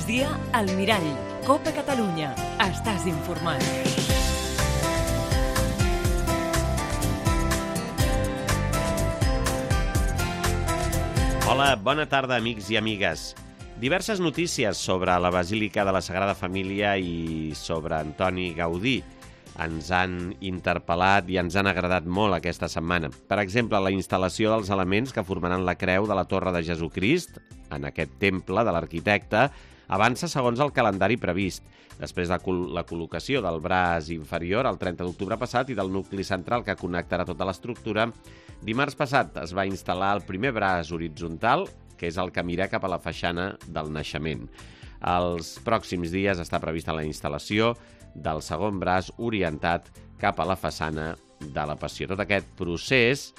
migdia, al Mirall. Copa Catalunya. Estàs informat. Hola, bona tarda, amics i amigues. Diverses notícies sobre la Basílica de la Sagrada Família i sobre Antoni Gaudí ens han interpel·lat i ens han agradat molt aquesta setmana. Per exemple, la instal·lació dels elements que formaran la creu de la Torre de Jesucrist, en aquest temple de l'arquitecte, avança segons el calendari previst. Després de la col·locació del braç inferior el 30 d'octubre passat i del nucli central que connectarà tota l'estructura, dimarts passat es va instal·lar el primer braç horitzontal, que és el que mira cap a la faixana del naixement. Els pròxims dies està prevista la instal·lació del segon braç orientat cap a la façana de la Passió. Tot aquest procés,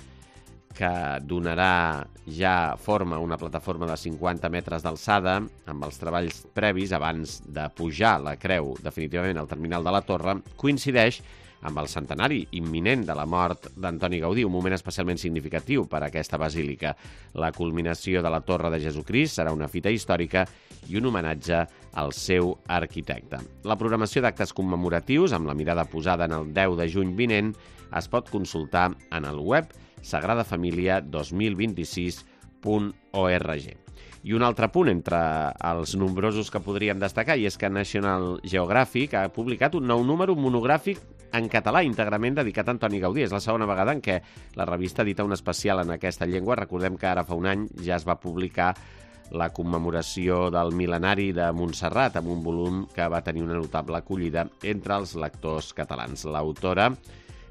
que donarà ja forma a una plataforma de 50 metres d'alçada, amb els treballs previs abans de pujar la creu definitivament al terminal de la torre, coincideix amb el centenari imminent de la mort d'Antoni Gaudí, un moment especialment significatiu per a aquesta basílica. La culminació de la Torre de Jesucrist serà una fita històrica i un homenatge al seu arquitecte. La programació d'actes commemoratius, amb la mirada posada en el 10 de juny vinent, es pot consultar en el web sagradafamilia2026.org. I un altre punt entre els nombrosos que podríem destacar, i és que National Geographic ha publicat un nou número monogràfic en català íntegrament dedicat a Antoni Gaudí. És la segona vegada en què la revista edita un especial en aquesta llengua. Recordem que ara fa un any ja es va publicar la commemoració del mil·lenari de Montserrat, amb un volum que va tenir una notable acollida entre els lectors catalans. L'autora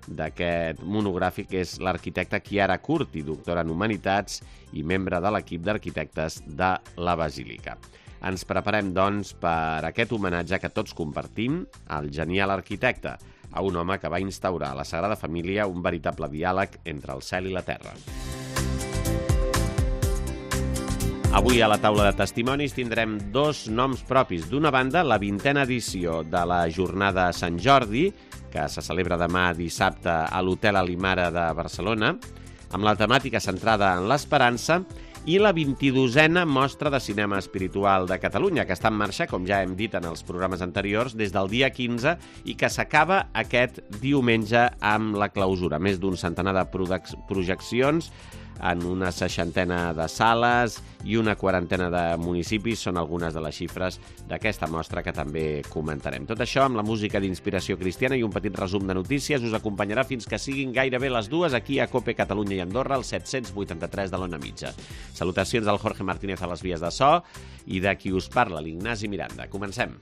d'aquest monogràfic és l'arquitecta Chiara Curti, doctora en Humanitats i membre de l'equip d'arquitectes de la Basílica. Ens preparem, doncs, per aquest homenatge que tots compartim al genial arquitecte, a un home que va instaurar a la Sagrada Família un veritable diàleg entre el cel i la terra. Avui a la taula de testimonis tindrem dos noms propis. D'una banda, la 20a edició de la Jornada de Sant Jordi, que se celebra demà dissabte a l'Hotel Alimara de Barcelona, amb la temàtica centrada en l'esperança, i la 22a Mostra de Cinema Espiritual de Catalunya, que està en marxa, com ja hem dit en els programes anteriors, des del dia 15 i que s'acaba aquest diumenge amb la clausura. Més d'un centenar de projeccions en una 60ena de sales i una 40ena de municipis són algunes de les xifres d'aquesta mostra que també comentarem. Tot això amb la música d'inspiració cristiana i un petit resum de notícies us acompanyarà fins que siguin gairebé les dues aquí a Cope Catalunya i Andorra, al 783 de l'Ona Mitja. Salutacions del Jorge Martínez a les vies de so i de qui us parla, l'Ignasi Miranda. Comencem.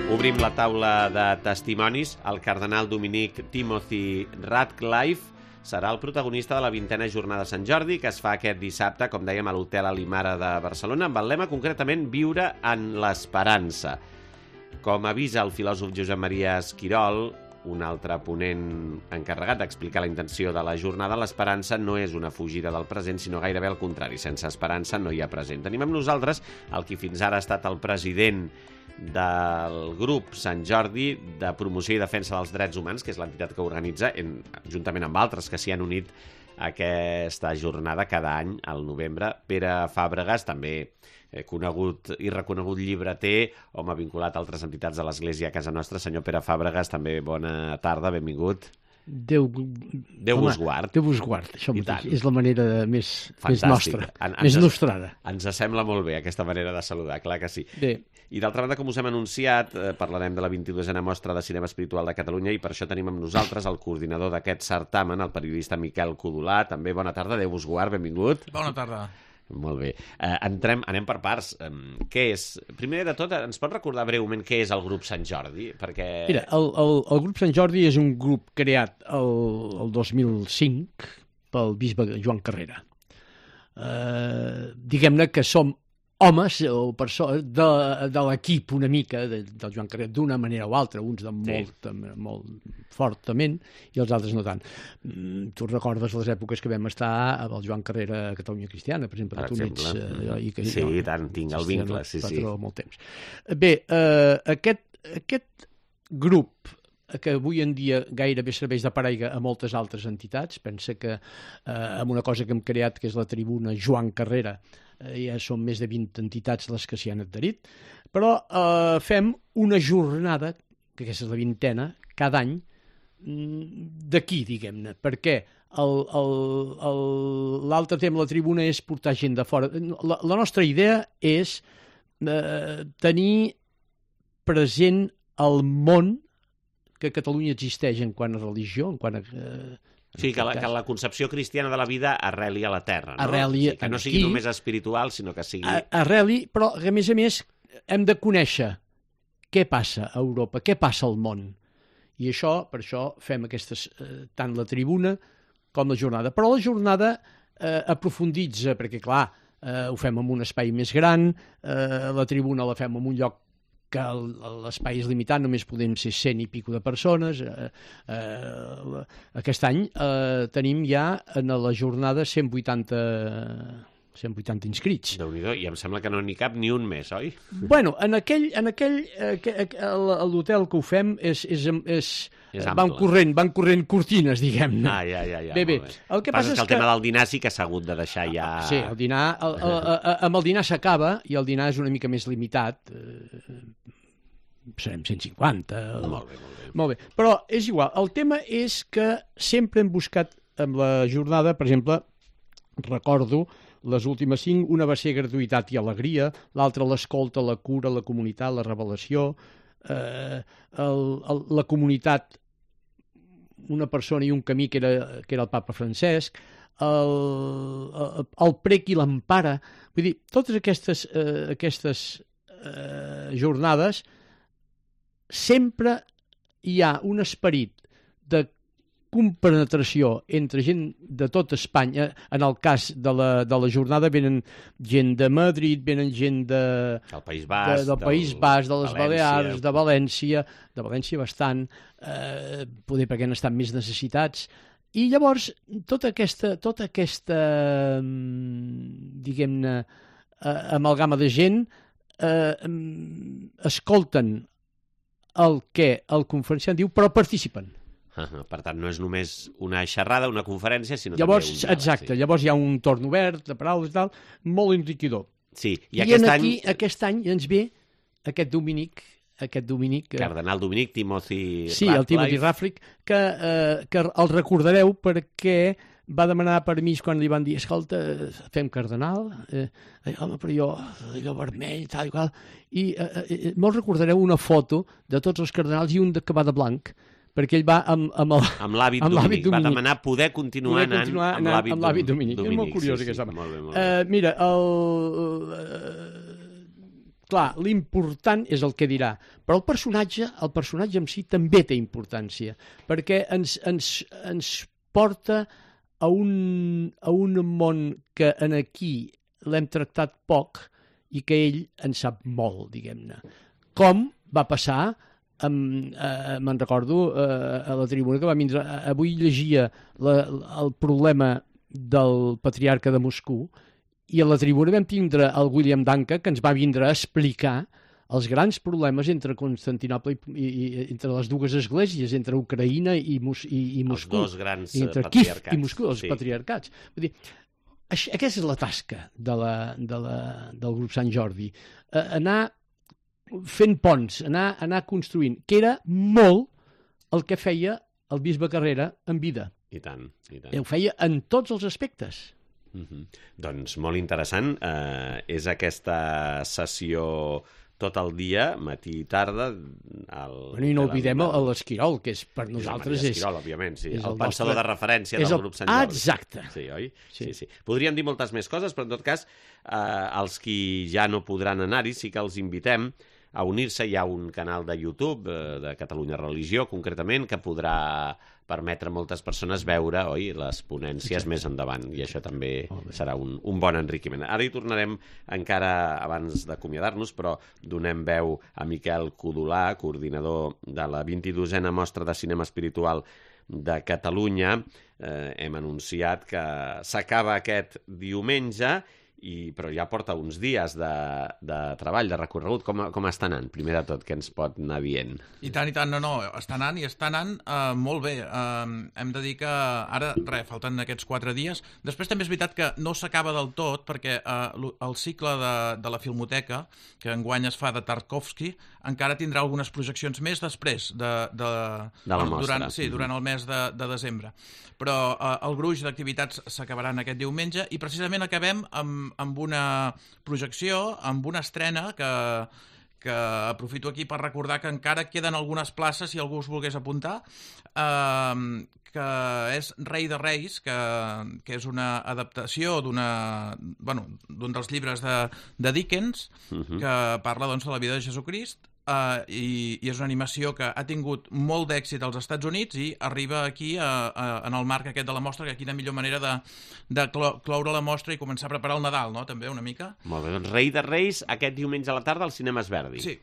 Obrim la taula de testimonis. El cardenal dominic Timothy Ratcliffe serà el protagonista de la 20a Jornada de Sant Jordi, que es fa aquest dissabte, com dèiem, a l'Hotel Alimara de Barcelona, amb el lema concretament Viure en l'esperança. Com avisa el filòsof Josep Maria Esquirol, un altre ponent encarregat d'explicar la intenció de la jornada, l'esperança no és una fugida del present, sinó gairebé al contrari. Sense esperança no hi ha present. Tenim amb nosaltres el que fins ara ha estat el president del grup Sant Jordi de promoció i defensa dels drets humans, que és l'entitat que organitza, juntament amb altres que s'hi han unit a aquesta jornada cada any al novembre. Pere Fàbregas, també conegut i reconegut llibreter, home vinculat a altres entitats de l'Església a casa nostra. Senyor Pere Fàbregas, també bona tarda, benvingut. Déu vos guard. Déu vos guard, això mateix. És la manera més nostra, més nostrada. Ens sembla molt bé aquesta manera de saludar, clar que sí. Bé. I d'altra banda, com us hem anunciat, parlarem de la 22a Mostra de Cinema Espiritual de Catalunya i per això tenim amb nosaltres el coordinador d'aquest certamen, el periodista Miquel Codolà. També bona tarda, Déu vos guard, benvingut. Bona tarda. Molt bé. Anem per parts. Què és? Primer de tot, ens pot recordar breument què és el grup Sant Jordi? Perquè... Mira, el grup Sant Jordi és un grup creat el 2005 pel bisbe Joan Carrera. Diguem-ne que som homes o persones de l'equip una mica del Joan Carrera, d'una manera o altra, uns de molt fortament i els altres no tant. Tu recordes les èpoques que vam estar amb el Joan Carrera a Catalunya Cristiana, per exemple, tu n'ets... Sí, i tant, tinc el vincle, sí. Molt temps. Bé, aquest grup que avui en dia gairebé serveix de paraigua a moltes altres entitats. Pensa que amb una cosa que hem creat, que és la tribuna Joan Carrera, ja són més de 20 entitats les que s'hi han adherit, però fem una jornada, que aquesta és la 20a, cada any, d'aquí, diguem-ne, perquè l'altre tema de la tribuna és portar gent de fora. La nostra idea és tenir present el món que a Catalunya existeix en quant a religió, en quant a... Sí, que la concepció cristiana de la vida arreli a la terra, no? Arreli sí, que no sigui només espiritual, sinó que sigui... Arreli, però a més hem de conèixer què passa a Europa, què passa al món. I això, per això fem aquestes, tant la tribuna com la jornada. Però la jornada aprofunditza, perquè clar, ho fem en un espai més gran, la tribuna la fem en un lloc que l'espai és limitat, només podem ser 100 i pico de persones. Aquest any tenim ja en la jornada 180 inscrits. Déu-n'hi-do, i em sembla que no n'hi cap ni un més, oi? Bueno, l'hotel que ho fem van corrent cortines, diguem-ne. Ja. Bé. El que passa és que el tema del dinar sí que s'ha hagut de deixar ja... Sí, el dinar, amb el dinar s'acaba, i el dinar és una mica més limitat. Serem 150. Molt bé. Però és igual. El tema és que sempre hem buscat amb la jornada, per exemple, recordo les últimes 5, una va ser gratuïtat i alegria, l'altra l'escolta, la cura, la comunitat, la revelació, la comunitat, una persona i un camí que era el papa Francesc, el prec i l'empara. Vull dir, totes aquestes jornades sempre hi ha un esperit de compenetració entre gent de tot Espanya. En el cas de la jornada venen gent de Madrid, venen gent del País Basc, de les Balears, de València bastant, poder perquè han estat més necessitats. I llavors tota aquesta diguem-ne amalgama de gent escolten el que el conferenciant diu, però participen. Per tant, no és només una xerrada, una conferència, sinó llavors, també un diàleg. Exacte, sí. Llavors hi ha un torn obert de paraules i tal, molt enriquidor. Sí, I aquest any ens ve aquest Dominic... Cardenal Dominic, Timothy sí, el Timothy Ratcliffe, que el recordareu perquè va demanar permís quan li van dir escolta, fem cardenal, home, però jo, allò vermell, tal i qual, i molt recordareu una foto de tots els cardenals i un que va de blanc, perquè ell va amb l'hàbit Dominic. Va demanar poder continuar anant amb l'hàbit Dominic. És molt curiós, aquest home. Molt bé. Mira, clar, l'important és el que dirà, però el personatge en si també té importància, perquè ens porta a un món que aquí l'hem tractat poc i que ell en sap molt, diguem-ne. Com va passar, me'n recordo, a la tribuna que va vindre, avui llegia el problema del patriarca de Moscou, i a la tribuna vam tindre el William Danca, que ens va vindre a explicar els grans problemes entre Constantinoble i entre les dues esglésies, entre Ucraïna i Moscou. Els dos grans entre patriarcats. Kiev i Moscou, els patriarcats. Vull dir, aquesta és la tasca del grup Sant Jordi. Anar fent ponts, anar construint, que era molt el que feia el bisbe Carrera en vida. I tant. Ho feia en tots els aspectes. Doncs molt interessant. És aquesta sessió tot el dia, matí i tarda. I no oblidem l'Esquirol, que és per nosaltres l'Esquirol, òbviament, sí. El pensador de referència del grup Sant Jordi. Exacte. Sí, oi? Sí. Podríem dir moltes més coses, però en tot cas, els qui ja no podran anar-hi, sí que els invitem a unir-se. Hi ha un canal de YouTube de Catalunya Religió, concretament, que podrà permetre a moltes persones veure, oi, les ponències més endavant, i això també serà un bon enriquiment. Ara hi tornarem encara abans d'acomiadar-nos, però donem veu a Miquel Codolà, coordinador de la 22a Mostra de Cinema Espiritual de Catalunya. Hem anunciat que s'acaba aquest diumenge però ja porta uns dies de treball, de recorregut. Com està anant, primer de tot, què ens pot anar dient? I tant, no, està anant molt bé. Hem de dir que ara, falten aquests 4 dies. Després també és veritat que no s'acaba del tot, perquè el cicle de la Filmoteca, que enguany es fa de Tarkovsky, encara tindrà algunes projeccions més després de la mostra. Durant el mes de desembre. Però el gruix d'activitats s'acabaran aquest diumenge i precisament acabem amb una projecció, amb una estrena que aprofito aquí per recordar que encara queden algunes places si algú es volgués apuntar, que és Rei de Reis, que és una adaptació d'un dels llibres de Dickens, que parla doncs, de la vida de Jesucrist, i és una animació que ha tingut molt d'èxit als Estats Units i arriba aquí en el marc aquest de la mostra, que quina millor manera de cloure la mostra i començar a preparar el Nadal, no? També una mica. Molt bé, doncs Rei de Reis aquest diumenge a la tarda al Cinema Esverdi. Sí.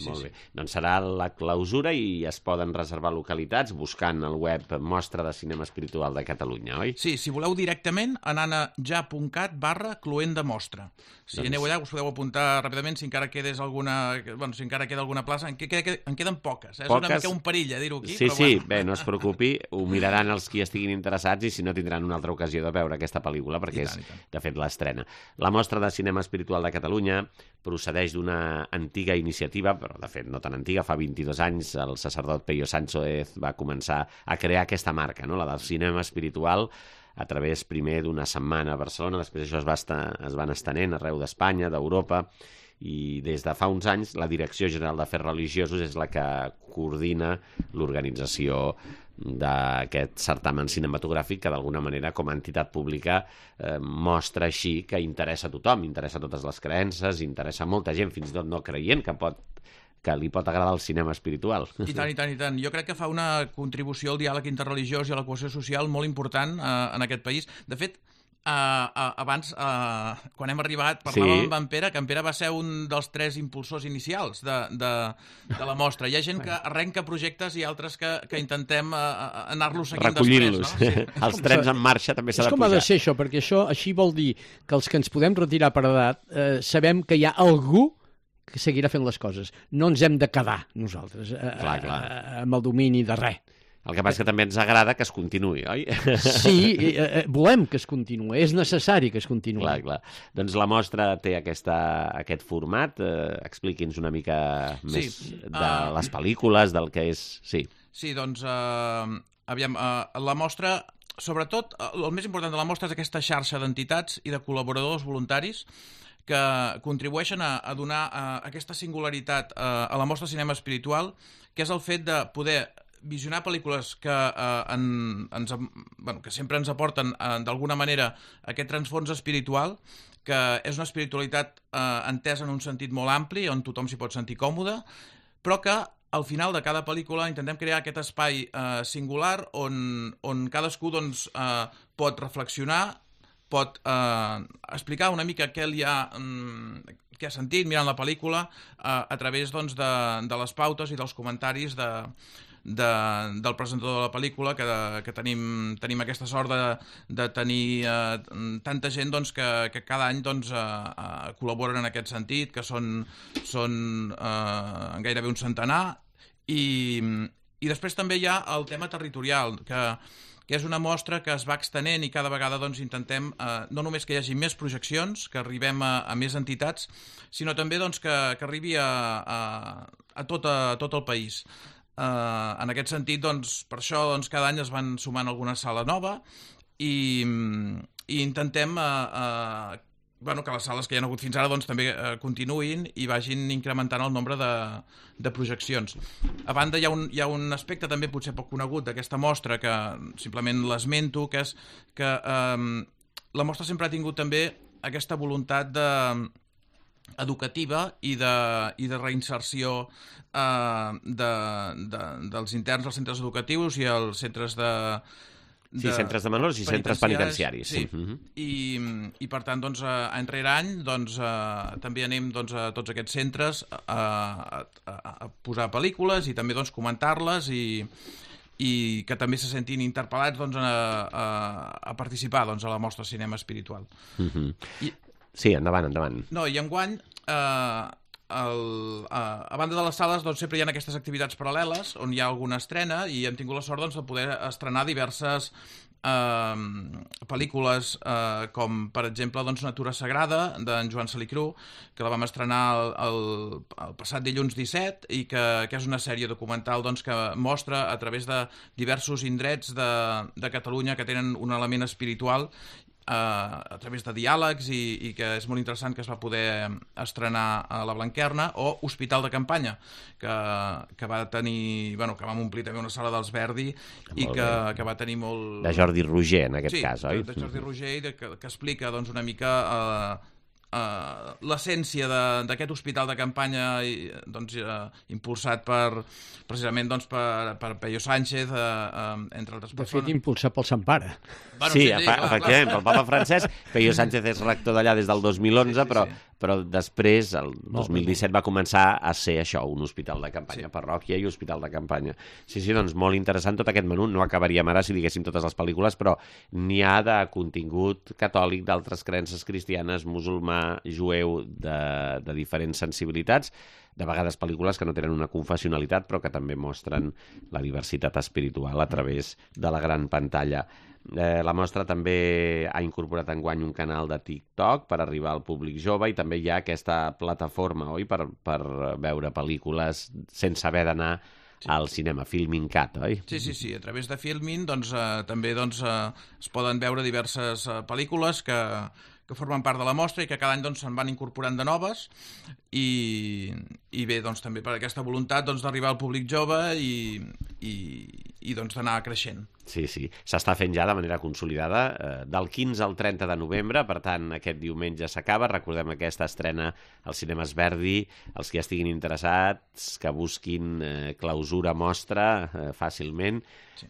Molt bé. Doncs serà la clausura i es poden reservar localitats buscant el web Mostra de Cinema Espiritual de Catalunya, oi? Sí, si voleu directament, anant a ja.cat/cloent-de-mostra. Si aneu allà, us podeu apuntar ràpidament si encara queda alguna plaça. En queden poques. És una mica un perill, dir-ho aquí. Sí, bé, no es preocupi, ho miraran els qui estiguin interessats i si no tindran una altra ocasió de veure aquesta pel·lícula, perquè és, de fet, l'estrena. La Mostra de Cinema Espiritual de Catalunya procedeix d'una antiga iniciativa, però de fet no tan antiga, fa 22 anys el sacerdot Peyo Sánchez va començar a crear aquesta marca, no? La del cinema espiritual, a través primer d'una setmana a Barcelona, després això es van estenent arreu d'Espanya, d'Europa, i des de fa uns anys la Direcció General d'Afers Religiosos és la que coordina l'organització d'aquest certamen cinematogràfic que d'alguna manera com a entitat pública mostra així que interessa a tothom, interessa a totes les creences, interessa a molta gent, fins i tot no creient que li pot agradar el cinema espiritual. I tant. Jo crec que fa una contribució al diàleg interreligiós i a la cohesió social molt important en aquest país. De fet, abans, quan hem arribat, parlàvem amb en Pere, que en Pere va ser un dels 3 impulsors inicials de la mostra. Hi ha gent que arrenca projectes i altres que intentem anar-los seguint després. No? Sí. Els trens en marxa també s'ha de pujar. És com ha de ser això, perquè això així vol dir que els que ens podem retirar per edat sabem que hi ha algú que seguirà fent les coses. No ens hem de quedar nosaltres amb el domini de res. El que passa és que també ens agrada que es continuï, oi? Sí, volem que es continuï, és necessari que es continuï. Clar. Doncs la mostra té aquest format, expliqui'ns una mica més de les pel·lícules, del que és... Sí, doncs, aviam, la mostra, sobretot, el més important de la mostra és aquesta xarxa d'entitats i de col·laboradors voluntaris que contribueixen a donar aquesta singularitat a la mostra de cinema espiritual, que és el fet de poder visionar pel·lícules que sempre ens aporten d'alguna manera aquest transfons espiritual, que és una espiritualitat entesa en un sentit molt ampli, on tothom s'hi pot sentir còmode, però que al final de cada pel·lícula intentem crear aquest espai singular on cadascú pot reflexionar, pot explicar una mica què ha sentit mirant la pel·lícula a través de les pautes i dels comentaris del presentador de la pel·lícula, que tenim aquesta sort de tenir tanta gent que cada any col·laboren en aquest sentit, que són gairebé un centenar, i després també hi ha el tema territorial, que és una mostra que es va extenent i cada vegada intentem no només que hi hagi més projeccions, que arribem a més entitats, sinó també que arribi a tot el país. En aquest sentit, per això cada any es van sumant alguna sala nova i intentem que les sales que hi ha hagut fins ara també continuïn i vagin incrementant el nombre de projeccions. A banda, hi ha un aspecte també potser poc conegut d'aquesta mostra, que simplement l'esmento, que és que la mostra sempre ha tingut també aquesta voluntat educativa i de reinserció dels interns als centres educatius i als centres centres de menors i centres penitenciaris. Sí. I per tant, any rere any, també anem a tots aquests centres a posar pel·lícules i també comentar-les i que també se sentin interpel·lats a participar a la mostra de cinema espiritual. Sí, endavant. No, i enguany, a banda de les sales, doncs, sempre hi ha aquestes activitats paral·leles on hi ha alguna estrena i hem tingut la sort doncs, de poder estrenar diverses pel·lícules com, per exemple, doncs, Natura Sagrada, d'en Joan Salicru, que la vam estrenar el passat dilluns 17 i que és una sèrie documental doncs, que mostra a través de diversos indrets de Catalunya que tenen un element espiritual a través de diàlegs i que és molt interessant, que es va poder estrenar a la Blanquerna, o Hospital de Campanya, que va tenir, bueno, que vam omplir també una sala dels Verdi i que va tenir molt... De Jordi Roger, en aquest cas, oi? Sí, de Jordi Roger, i que explica doncs, una mica l'essència d'aquest hospital de campanya doncs, impulsat precisament doncs, per Peyo Sánchez, entre altres persones. De fet, impulsat pel Sant Pare. Bueno, sí, efectivament, pel papa Francesc. Peyo Sánchez és rector d'allà des del 2011, però després, el 2017, va començar a ser això, un hospital de campanya, parròquia i hospital de campanya. Sí, doncs molt interessant tot aquest menú. No acabaríem ara si diguéssim totes les pel·lícules, però n'hi ha de contingut catòlic, d'altres creences cristianes, musulmà, jueu, de diferents sensibilitats, de vegades pel·lícules que no tenen una confessionalitat però que també mostren la diversitat espiritual a través de la gran pantalla. La mostra també ha incorporat enguany un canal de TikTok per arribar al públic jove i també hi ha aquesta plataforma, oi?, per veure pel·lícules sense haver d'anar al cinema, Filmin Cat, oi? Sí, a través de Filmin doncs, també doncs, es poden veure diverses pel·lícules que formen part de la mostra i que cada any doncs, se'n van incorporant de noves i bé, doncs, també per aquesta voluntat doncs, d'arribar al públic jove i doncs, d'anar creixent. Sí, s'està fent ja de manera consolidada del 15 al 30 de novembre, per tant aquest diumenge s'acaba. Recordem aquesta estrena als cinemes Verdi, els que ja estiguin interessats que busquin clausura mostra fàcilment.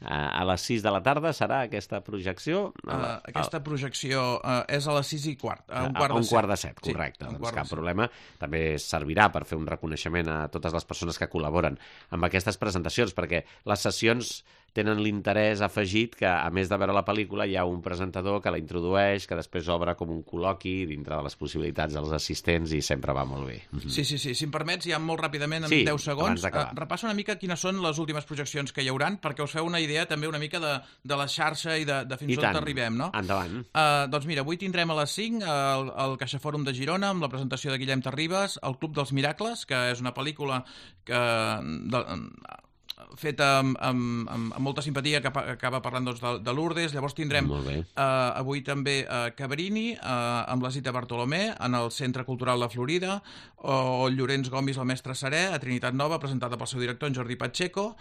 A les 6 de la tarda serà aquesta projecció? Aquesta projecció és a les 6:15, a un quart de set, correcte, doncs cap problema. També servirà per fer un reconeixement a totes les persones que col·laboren amb aquestes presentacions, perquè les sessions tenen l'interès afegit que, a més de veure la pel·lícula, hi ha un presentador que la introdueix, que després obre com un col·loqui dintre de les possibilitats dels assistents i sempre va molt bé. Sí. Si em permets, ja molt ràpidament, en 10 segons, repassa una mica quines són les últimes projeccions que hi hauran, perquè us feu una idea també una mica de la xarxa i de fins on arribem, no? Endavant. Doncs mira, avui tindrem a les 5 el CaixaFòrum de Girona amb la presentació de Guillem Terribas, El Club dels Miracles, que és una pel·lícula feta amb molta simpatia, que acaba parlant doncs, de Lourdes. Llavors tindrem avui també Cabrini amb la Zita Bartolomé en el Centre Cultural La Florida, o Llorenç Gomis, el mestre Serè, a Trinitat Nova, presentada pel seu director, en Jordi Pacheco.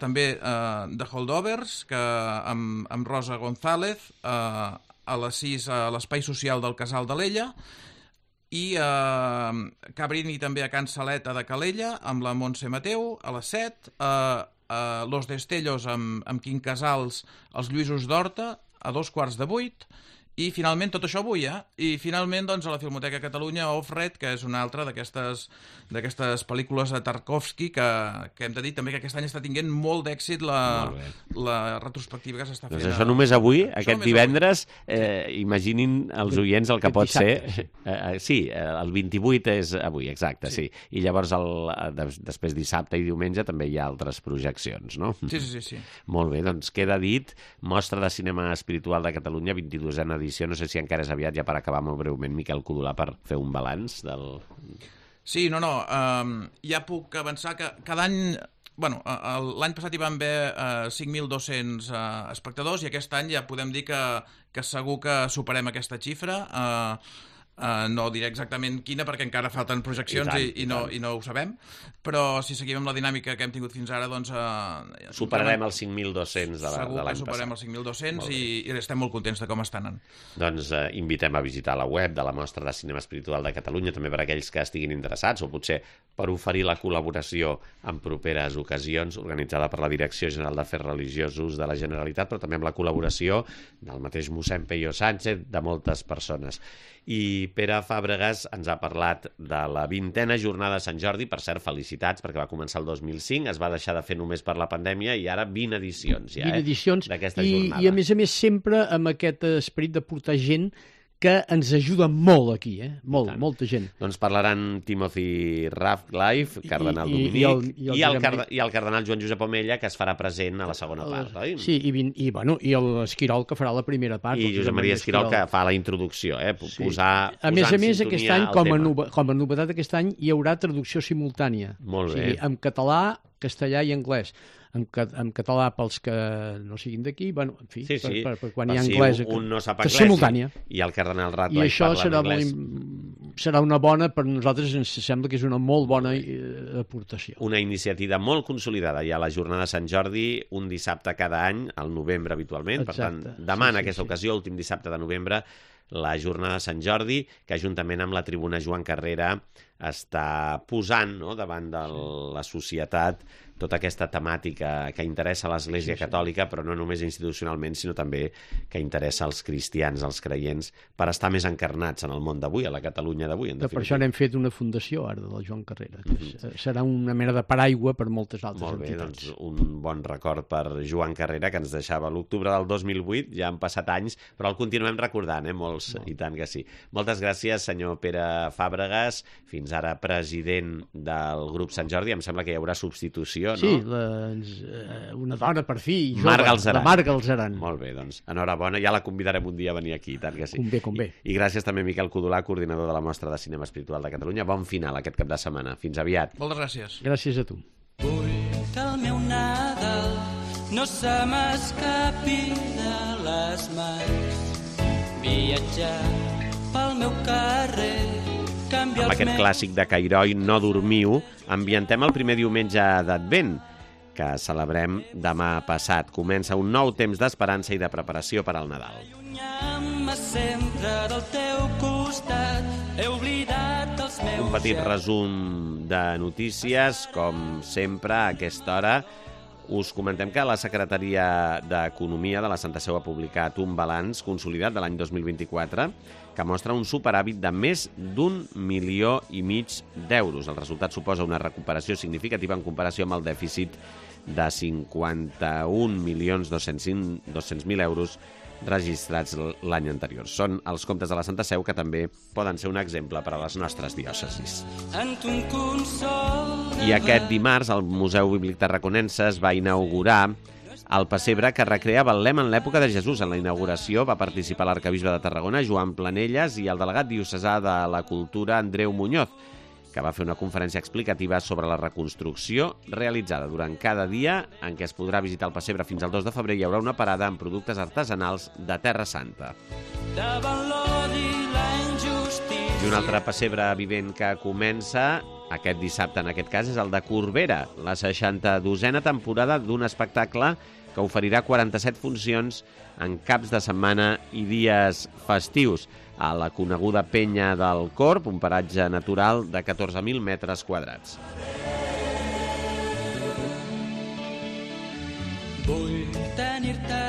També The Holdovers, amb Rosa González, a les 6 a l'Espai Social del Casal d'Alella, i Cabrini també a Can Saleta de Calella amb la Montse Mateu a les 7, Los Destellos amb Quim Casals, els Lluïsos d'Horta a 7:15, i finalment, tot això avui, i finalment doncs, a la Filmoteca Catalunya, Off-Red, que és una altra d'aquestes pel·lícules de Tarkovsky, que hem de dir també que aquest any està tinguent molt d'èxit la retrospectiva que s'està fent. Doncs això només avui, aquest divendres, imaginin els oients el que pot ser. Sí, el 28 és avui, exacte, sí. I llavors després dissabte i diumenge també hi ha altres projeccions, no? Sí. Molt bé, doncs queda dit, Mostra de Cinema Espiritual de Catalunya, 22a edició. No sé si encara és aviat, ja per acabar molt breument, Miquel Codolà, per fer un balanç del... Sí, ja puc avançar que cada any... Bueno, l'any passat hi van haver 5.200 espectadors i aquest any ja podem dir que segur que superem aquesta xifra. No diré exactament quina perquè encara falten projeccions i no ho sabem, però si seguim amb la dinàmica que hem tingut fins ara, doncs... Superarem els 5.200 de l'any passat. Segur que superarem els 5.200 i estem molt contents de com estan anant. Doncs invitem a visitar la web de la Mostra de Cinema Espiritual de Catalunya, també per a aquells que estiguin interessats, o potser per oferir la col·laboració en properes ocasions, organitzada per la Direcció General d'Afers Religiosos de la Generalitat, però també amb la col·laboració del mateix mossèn Peyo Sánchez, de moltes persones. I Pere Fàbregas ens ha parlat de la 20a jornada de Sant Jordi, per cert, felicitats, perquè va començar el 2005, es va deixar de fer només per la pandèmia i ara 20 edicions ja, 20 edicions, d'aquesta jornada. I a més sempre amb aquest esperit de portar gent que ens ajuda molt aquí, molta gent. Doncs parlaran Timothy Radcliffe, cardenal dominic, i el cardenal Joan Josep Omella, que es farà present a la segona part, oi? Sí, i l'Esquirol, que farà la primera part. I Josep Maria Esquirol, que fa la introducció, posar a més, aquest any, com a novetat aquest any, hi haurà traducció simultània. Molt bé. O sigui, en català, castellà i anglès. En català pels que no siguin d'aquí, en fi, per quan hi ha anglès, un no sap anglès, simultània. I el cardenal Radcliffe parla en anglès. I això serà una bona, per nosaltres ens sembla que és una molt bona aportació. Una iniciativa molt consolidada. Hi ha la jornada de Sant Jordi, un dissabte cada any, al novembre habitualment. Exacte. Per tant, demà en aquesta ocasió, últim dissabte de novembre, la jornada de Sant Jordi, que juntament amb la tribuna Joan Carrera està posant davant de la societat tota aquesta temàtica que interessa a l'Església Catòlica, però no només institucionalment, sinó també que interessa als cristians, als creients, per estar més encarnats en el món d'avui, a la Catalunya d'avui, en definitiva. Per això n'hem fet una fundació ara de la Joan Carrera, que serà una mena de paraigua per moltes altres entitats. Doncs un bon record per Joan Carrera, que ens deixava l'octubre del 2008, ja han passat anys, però el continuem recordant, molts, i tant que sí. Moltes gràcies, senyor Pere Fàbregas, fins ara president del grup Sant Jordi. Em sembla que hi haurà substitució, no? Sí, una dona per fi, jove, la Mar Galzeran. Molt bé, doncs, enhorabona, ja la convidarem un dia a venir aquí, tant que sí. Convé. I gràcies també a Miquel Codolà, coordinador de la Mostra de Cinema Espiritual de Catalunya. Bon final aquest cap de setmana. Fins aviat. Moltes gràcies. Gràcies a tu. Vull que el meu Nadal no se m'escapi de les mans, viatjar pel meu carrer. Amb aquest clàssic de Cairoi, No dormiu, ambientem el primer diumenge d'Advent, que celebrem demà passat. Comença un nou temps d'esperança i de preparació per al Nadal. Un petit resum de notícies, com sempre, a aquesta hora. Us comentem que la Secretaria d'Economia de la Santa Seu ha publicat un balanç consolidat de l'any 2024 que mostra un superàvit de més d'1,5 milió d'euros. El resultat suposa una recuperació significativa en comparació amb el dèficit de 51.200.000 euros registrats l'any anterior. Són els comptes de la Santa Seu que també poden ser un exemple per a les nostres diòcesis. I aquest dimarts el Museu Bíblic Tarraconense es va inaugurar el pessebre que recrea Betlem en l'època de Jesús. En la inauguració va participar l'arquebisbe de Tarragona, Joan Planelles, i el delegat diocesà de la Cultura, Andreu Muñoz, que va fer una conferència explicativa sobre la reconstrucció realitzada. Durant cada dia en què es podrà visitar el pessebre fins al 2 de febrer hi haurà una parada amb productes artesanals de Terra Santa. I un altre pessebre vivent que comença aquest dissabte, en aquest cas, és el de Corbera, la 62a temporada d'un espectacle que oferirà 47 funcions en caps de setmana i dies festius a la coneguda Penya del Corb, un paratge natural de 14.000 metres quadrats.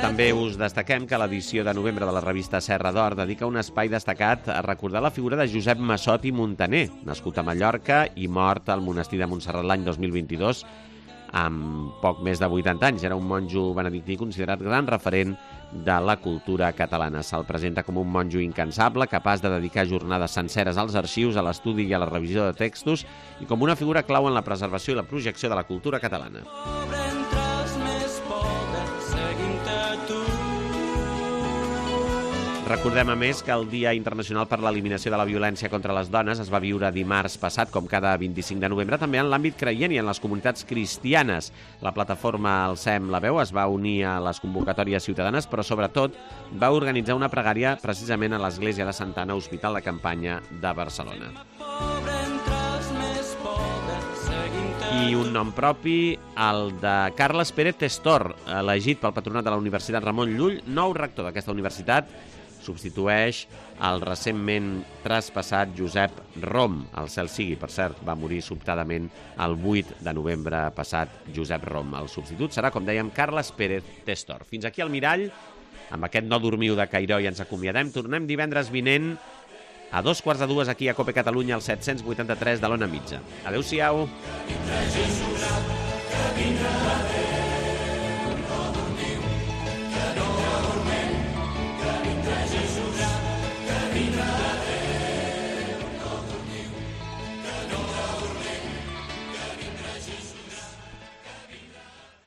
També us destaquem que l'edició de novembre de la revista Serra d'Or dedica un espai destacat a recordar la figura de Josep Massot i Muntaner, nascut a Mallorca i mort al monestir de Montserrat l'any 2022, amb poc més de 80 anys. Era un monjo benedictí considerat gran referent de la cultura catalana. Se'l presenta com un monjo incansable, capaç de dedicar jornades senceres als arxius, a l'estudi i a la revisió de textos, i com una figura clau en la preservació i la projecció de la cultura catalana. Recordem, a més, que el Dia Internacional per l'Eliminació de la Violència contra les Dones es va viure dimarts passat, com cada 25 de novembre, també en l'àmbit creient i en les comunitats cristianes. La plataforma Alcem la Veu es va unir a les convocatòries ciutadanes, però sobretot va organitzar una pregària precisament a l'Església de Santa Anna, Hospital de Campanya de Barcelona. I un nom propi, el de Carles Pérez Testor, elegit pel Patronat de la Universitat Ramon Llull, nou rector d'aquesta universitat, substitueix el recentment traspassat Josep Rom. El cel sigui, per cert, va morir sobtadament el 8 de novembre passat Josep Rom. El substitut serà, com dèiem, Carles Pérez Testor. Fins aquí al Mirall, amb aquest No dormiu de Cairoi ens acomiadem. Tornem divendres vinent a 2:45 aquí a Cope Catalunya, al 783 de l'Ona Mitja. Adéu-siau.